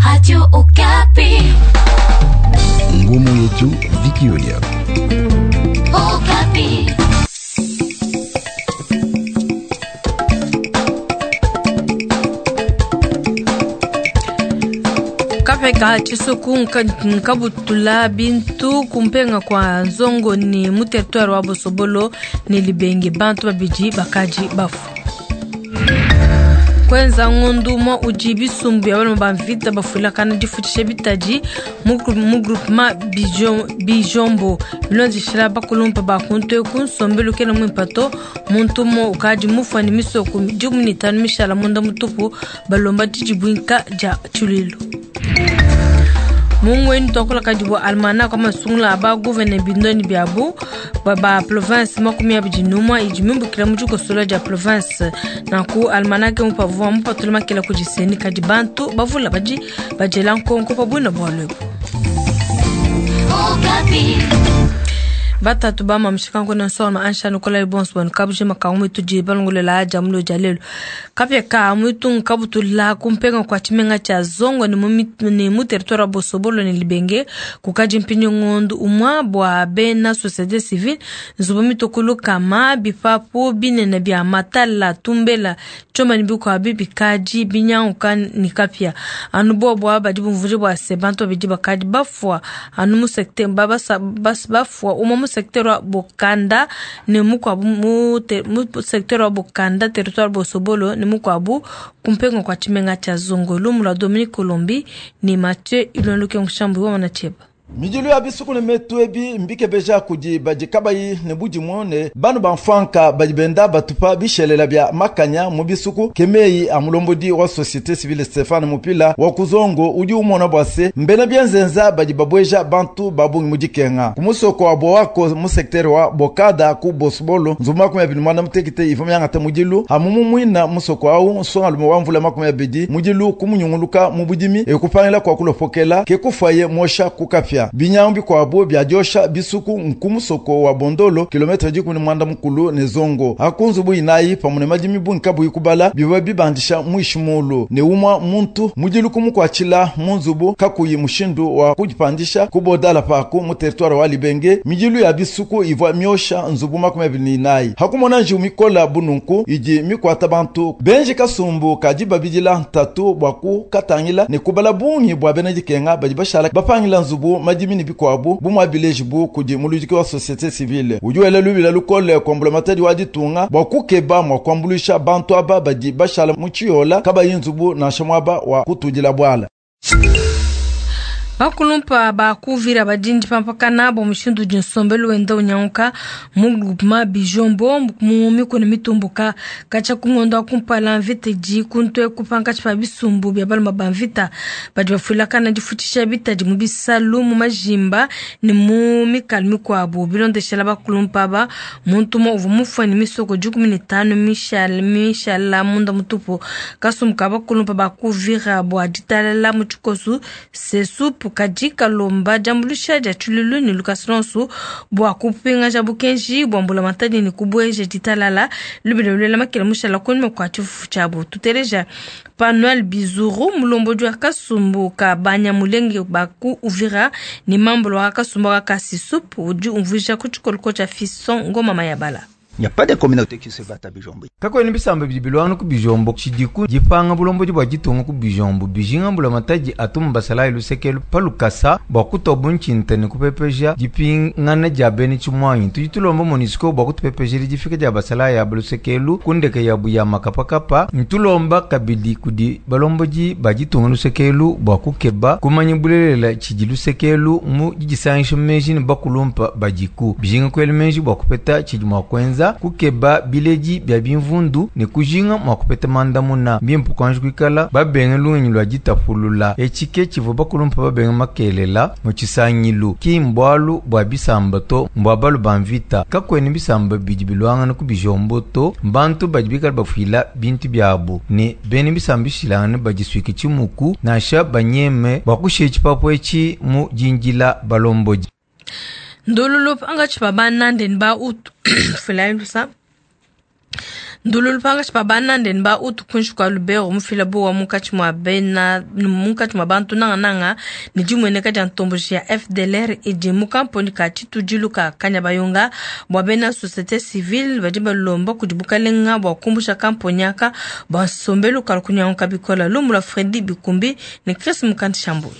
Radio Okapi. Ngumu yetu Vikiolia. Okapi. Kapeka tshisuku nkabutula bintu kumpenga kwa nzongo ni mu territoire wa Bosobolo ni Libenge bantu babidi bakaji bafu kwenza ngondu mwa udi bisumbu ya baloma ba mvita bafuilakana difutshisha bitadi mu groupement Bijombo bilondeshela bakulumpa ba kuntu eku nsombelu kena muimpa to muntu umue ukadi mufua ne misoko 15 mishala munda mutupu balomba didibuinka dia tshiluilu. Mungweni tuakulakadi bua almanach wa masungula a ba gouverneur bindoni biabu ba ba province 21 idi mimbukila mu dikosola dia province. Nanku almanach mupavua mupatula makela kudi seni kadi bantu bavula badi badiela nkonko pa buina bualu ebu. Batatu ba mamishika nkona nsona ansha nukola bonso banu kabuje makangu mitu di balongolela aja mulo dia lelo kapya ka mutu nkabutula kumpenga kwa tshimenga tshia zongo ni mu ni mu territoire wa Bosobolo ni Libenge kukaji mpinyo ngondu umwa bua bena société civile nzubu mitokolo kama bipapu binene bia matala tumbela choma ni bikwa bikaji binyanguka ni kapya anu bo bua badi bumvuje bua se bantu babidi bakadi bafua anu mu secteur babasa bas bafua umwa mu secteur wa Bokanda ne mukwabu mu secteur wa Bokanda territoire Bosobolo ne mukwabu kumpenga kwa tshimenga tshia Zongo. Lumu lua Dominique Colombi ni Mathieu Ilonluke Nshambu wa Manacheba. Midilu ya bisuku ne metu ebi mbikebeja kudi badi kabayi ne budimu ne banu banfanka badi benda batupa bishelela bia makanya mu bisuku kemeyi a mulombodi wa société civile Stéphane Mupila wa kuzongo udi umona bua se mbena bienzenza badi babweja bantu babungi mu dikenga ku musoko wa Boako mu secteur wa Bokada ku Bosbolo nzubu 28 ivo myangata mudilu hamumu mwina musoko awu nsonga lume wa mvula 20 mudilu kumunyunguluka mu budimi ekupangila kwa kulopokela ke kufaye mosha kukapya binyambi kwabo bya josha bisuku nkumusoko wa Bondolo kilometre 18 ne zongo akunzubu inayi pamune madimi bunka buyikubala biba bibandisha mwishimulu ne umwa muntu mudilu kumukwachila munzubu kakuyi mushindu wa kujipandisha kubodala paku mu territoire wa Libenge midilu ya bisuku ivwa myosha nzubu 29 hakumona njiu mikola bununku idi mikwata bantu benji kasumbu kadi babidila ntatu bwa kukatangila ne kubala bungi bwa bena dikenga badi bashala bapangila nzubu madimi ni bikwabu bumwa bileji bu kudi muludiki wa société civile udi wela lubila lukole komplementari wa ditunga bwa kukeba mwa kuambuluisha bantu aba badi bashala mu tshiyola kabayi nzubu nansha muaba wa kutudila bwala. Bakulumpa bakuvira badindi pampakana bo mushindu di nsombelu wenda unyanguka mu groupement Bijombo mu mikuna mitumbuka kacha kungondo kumpala mvita di kuntu kupanka tshipa bisumbu bia baluma ba mvita badi bafuilakana difutshisha bitadi mu bisalu mu majimba ne mu mikalu mikuabu bilondeshela bakulumpa ba muntu umue uvua mufue ne misoko 15 mishala mishala munda mutupu kasumbu ka bakulumpa bakuvira bua ditalala mu tshikosu sesupu kadi kalomba diambuluisha dia tshiluilu ne Lucas Lonso bua kupingaja bukenji bua mbulamatadi ne kubueja ditalala lubila lulela makela mushala kunyima kua tshifufu tshiabu. Tuteleja Panuel Bizuru mulombodi wa kasumbu ka banyamulenge baku Uvira ne mambolo wa kasumbu ka Kasisupu udi umvuija ku tshikoloko tshia Fiston Ngoma Mayabala. Il n'y a pas de communauté qui se bat à Bijombo. Kakwene bisamba bidi bilwana ku Bijombo tshidiku dipanga bulombodi bua ditunga ku Bijombo bijinga mbulamatadi atuma basalayi lusekelu pa lukasa bua kutoba ntshinta ne kupepeja dipingana dia bena tshimwanyi. Tudi tulomba MONUSCO bua kutupepejela difika dia basalayi aba lusekelu ku ndeke yabu ya makapakapa. Ntulomba kabidi kudi balombodi ba ditunga lusekelu bua kukeba kumanya bulelela tshidi lusekelu mu didisangisha meji ne bakulumpa badiku bijinga kuela meji bua kupeta tshidi mua kuenza kukeba biledi bia bimvundu ne kujinga mua kupeta mandamuna bimpe kuanji kuikala babenga lungenyi lua ditapulula etshike tshivua bakulumpa babenga makelela mu tshisangilu ki mbualu bua bisamba to mbua balu ba mvita kakwene bisamba bidi bilwangana ku bijombo to mbantu badi bikala bafuila bintu biabu ne bene bisamba bishilangane badisuike tshimuku nansha banyeme bua kushiya tshipapu etshi mu dindila balombodi. Ndololo pangatshi pa banande ne ba utu fuilayi lusa. Ndululu pankatshi pa banande ne ba Hutu kuinshi kua Lubero mufila buowa munkatshi mua bena munkatshi mua bantu nangananga ne dimueneka dia ntomboji ya FDLR idi mu kamponyi ka tshitudilu ka Kanyabayonga bua bena societe civile badi balomba kudi bukalenga bua kumbusha kamponyi aka bua nsombelu kalu kunyanguka bikola. Lumu lua Fredy Bikumbi ne Chris Mukandi Shambuyi.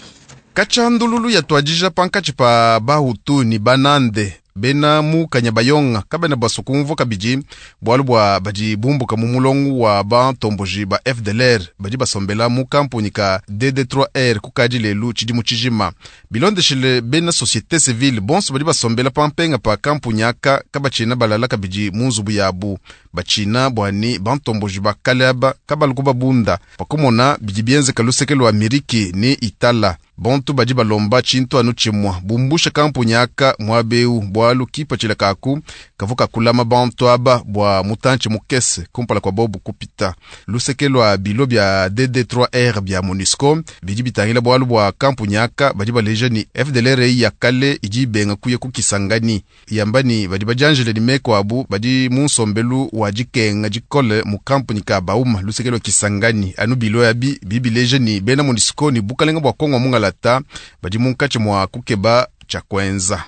Katshia ndululu yatuadija pankatshi pa Bahutu ne Banande bena mu Kanyabayonga kabena basua kumvua kabidi bualu bua badi bumbuka mu mulongo wa bantomboji ba FDLR badi basombela mu kamponyi ka DD3R kukadi lelu tshidimu tshijima. Bilondeshile bena societe civile bonso badi basombela pampenga pa kamponyi aka kabatshiena balala kabidi mu nzubu yabu batshina bua ne bantomboji ba kale aba kabalu kubabunda pakumona bidi bienzeka luseke lua Miriki ne Itala. Bontu badi balomba tshintu anu tshimua bumbusha kamponyi aka muaba eu bualu kipatshila kaku kavua kakulama bantu aba bua mutantshi mukese kumpala kua bobu kupita. Luseke lua bilo bia DD3R bia MONUSCO bidi bitangila bualu bua kamponyi aka badi baleja ne FDLR ya kale idi ibenga kuya ku Kisangani yamba ne badi badianjile ne meko abu badi mu nsombelu wa dikenga dikole mu kamponyi ka Bauma luseke lua Kisangani. Anu bilo abi bibileja ne bena MONUSCO ne bukalenga bua Kongo mungalata badi munkatshi mua kukeba tshia kuenza.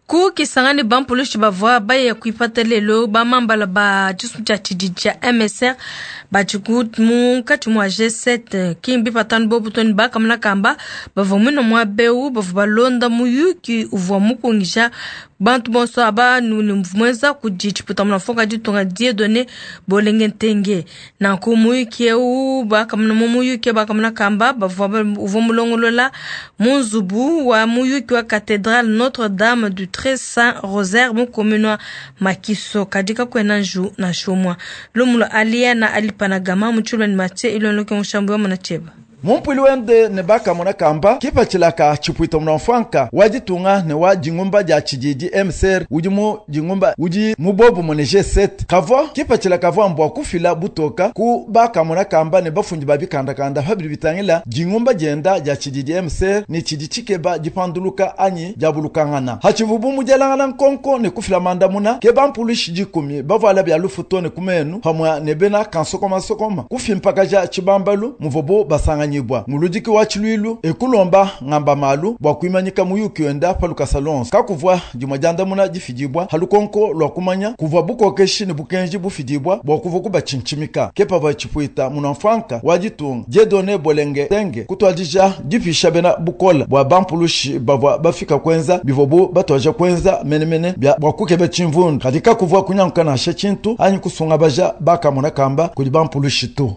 Ku Kisangani bampulushi bavua baya kuipata lelo bamambala ba tshisu tshia tshididi tshia MSR badi munkatshi mua G7 ki mbipatanu bobu to ne bakamuna kamba bavua muine muaba eu bavua balonda muyuki uvua mukungisha bantu bonso aba ne muenza kudi tshiputa mfuka ditunga Dieudonné Bolenge Ntenge. Nanku muyuki eu bakamuna mu muyuki bakamuna kamba bavua uvua mulongolola mu nzubu wa muyuki wa cathédrale Notre-Dame du Très Saint Rosaire mu commune wa Makiso kadi kakuena nju nansha umue. Lumu lua Aliana Alipanagama mu tshilua ne Mathieu Ilonloke mushambu wa mona tshieba. Mumpwili wende ne bakamona kamba kipatshila ka tshipuita munamfwanka wa ditunga ne wa dingumba dia tshididi MCR udi mu dingumba udi mu bobu mune G7 kavua kipatshila kavua mbua kufila butoka ku bakamona kamba ne bafundi ba bikandakanda pabidi bitangila dingumba dienda dia tshididi MCR ne tshidi tshikeba dipanduluka anyi diabulukangana hatshivubu mudielangana nkonko ne kufila mandamuna ke bampulushi dikumi bavuala bia lufu to ne kumenu pamue ne bena kansokomasokoma kufimpakaja tshibambalu muvubu basanganyibwa muludiki wa tshiluilu ekulomba ngamba malu bua kuimanyika muyuki wenda pa lukasa lonso kakuvua dimue diandamuna difidibua halukonko lua kumanya kuvua bukokeshi ne bukenji bufidibua bua kuvua kubatshintshimika ke pavua tshipuita munamfwanka wa ditunga Dieudonné Bolenge Ntenge kutuadija dipisha bena bukola bua bampulushi bavua bafika kuenza bivua batuaja kuenza menemene bia bua kukeba tshimvundu kadi kakuvua kunyanguka nansha tshintu anyi kusungabaja bakamona kamba kudi bampulushi to.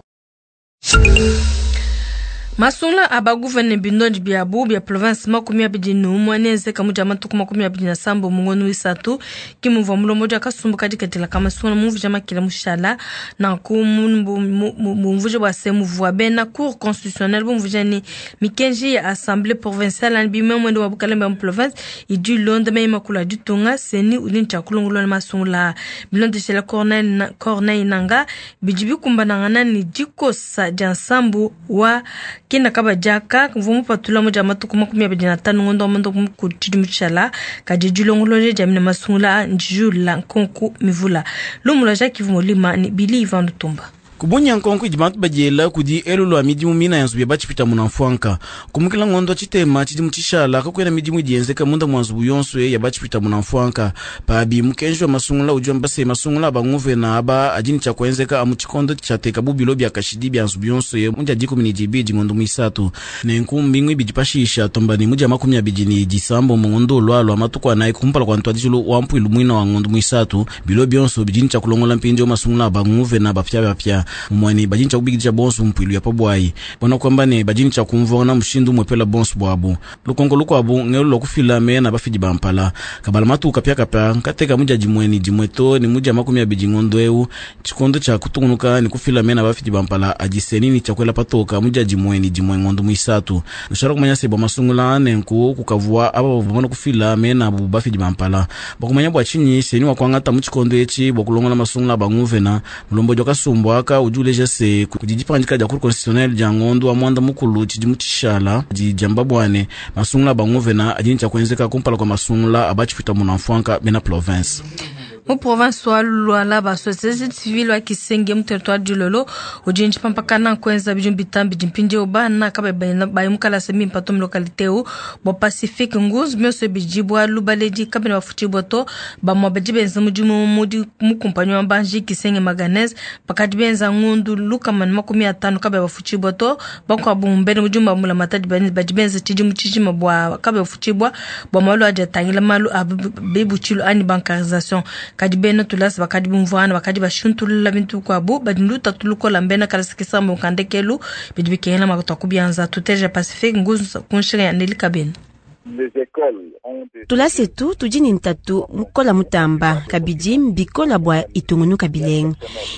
Masungula a baguvene bindondi biabu bia province 21 nenzeka mu dia matuku 27 mu ngondo wisatu ki muvua mulombodi akasumbu kadikatela ka masungula mumvuija makila mushala nanku mumvuija bua se muvua bena cour constitutionnelle bumvuija ne mikenji ya assemblée provinciale ani bimwe mwende wa bukalembe mu province idi ilonda meyi makulu a ditunga seni udi ne tshia kulongolola masungula bilondeshela Corneille Nanga bidi bikumbanangana ne dikosa dia nsambu wa kina kabadiaka mvua mupatula mu dia matuku 25 ngondo wa mondo mukulu tshidimu tshishala kadi dilongolole dia mine masungula ndijula nkonku mivula lumu lua Jacques Molima ne Billy Ivan Lutumba. Kubunya nkonko idi bantu badiela kudi elu lua midimu mina ya nzubu ya batshipita munamfwanka kumukila ngondo tshitema tshidimu tshishala kakuena midimu idi yenzeka munda mua nzubu yonso ya batshipita munamfwanka pabi mukenji wa masungula udi wamba se masungula a banguvena aba adi ne tshia kuenzeka amu tshikondo tshiateka bubilo bia kashidi bia nzubu yonso mu dia 12 ngondo muisatu nenku mbingu ibidi pashisha tomba ne mu dia 29 ngondo ulwalwa matuku anayi kumpala kua ntuadijilu wa mpuilu muina wa ngondo muisatu bilo bionso bidi ne tshia kulongola mpindieu masungula a banguvena bapiabapia mumwani badi ne tshia kubikidisha bonso mpuilu ya pabwayi bona kwamba ne badi ne tshia kumvuangana mushindu umwepela bonso bwabu lukonko lukuabu ngelu lua kufila mena bafidi bampala kabala matuku kapiakapia nkateka mu dia dimue ne dimue to ne mu dia 20 ngondo eu tshikondo tshia kutungunuka ne kufila mena bafidi bampala adi seni ne tshia kuela patoka mu dia dimue ne dimue ngondo muisatu nushala kumanya se bua masungula nenku kukavua aba bavua bamana kufila mena abu bafidi bampala bakumanya bua tshinyi seni wa kuangata mu tshikondo etshi bua kulongola masungula a banguvena mulombodi wa kasumbu aka udi uleja se kudi dipangadika dia cour constitutionnelle dia ngondo wa mwanda mukulu tshidimu tshishala di diamba bua ne masungula a banguvena adi ne tshia kuenzeka kumpala kua masungula a batshipita munamfwanka bena province. Mu province wa Lualaba, société civile wa Kisenge mu territoire du Lolo udi ntshipampakana kuenza bidimu bitanu bidi mpindieu bana kabayi bayi mu kalasa mimpe to mu localité eu bua Pacifique Nguzu mionso bidi bualu baledi kabena bafutshibua to. Bamue badi benza mudimu mu kumpanyi wa mbanji Kisenge Manganèse bakadi benza ngundu 150 kabayi bafutshibua to. Bakuabu mbena mudimu ba mbulamatadi badi benza tshidimu tshijima bua kabayi bafutshibua bua malu adi atangila malu a bibutshilu anyi bancarisation. Kadi bena tulasa bakadi bumvuana bakadi bashuntulula bintu bikuabu badi lutatu lukola mbena kalasa kisambo kandekelu bidi bikengela makuta kubianza. Tuteja Pacifique Nguzu kunshinga ya Nelly Kabena. Tulasa etu tudi ne ntatu mukola mutamba kabidi mbikola bua itungunuka bilenga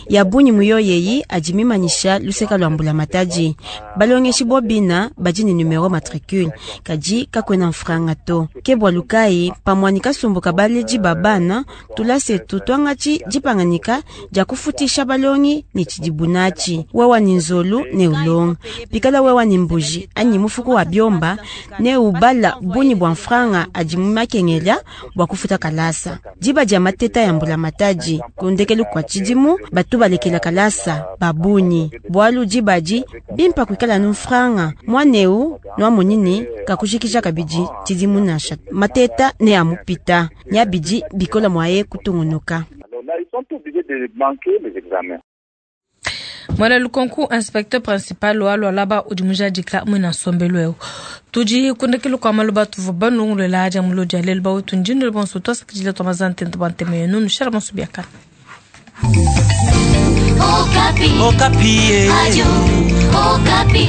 ya bungi muyoyeyi adi mimanyisha luseka lwa mbulamatadi. Balongeshi bobina badi ne numero matricule kadi kakwena mfranga to ke bua lukai pamwani kasumbuka baledi ba bana tulasa etu twangatshi dipanganika dia kufutisha balongi ne tshidibunatshi wewa ni nzolu ne ulonga pikala wewa ni mbuji anyi mufuku wa biomba ne ubala bunyi bua mfranga adi mumakengela bua kufuta kalasa. Diba dia mateta ya mbulamatadi kundekelu kwa tshidimu batu balekela kalasa babunyi bualu diba adi bimpa kuikala nu mfranga mwaneu nwamonini kakujikija kabidi tshidimu nansha mateta ne amupita nyabidi bikola mwaye kutungunuka. Mwana Lukonku, inspecteur principal wa Lualaba udi mujadika mwina nsombelu eu. Tudi kundekelu kwa malu batu banungulela aja mulodi alelu bautu ndindu bonso twasakidila twamazante ntobanteme yenu nushara bonso biakana. Okapi. Okapi. Radio Okapi.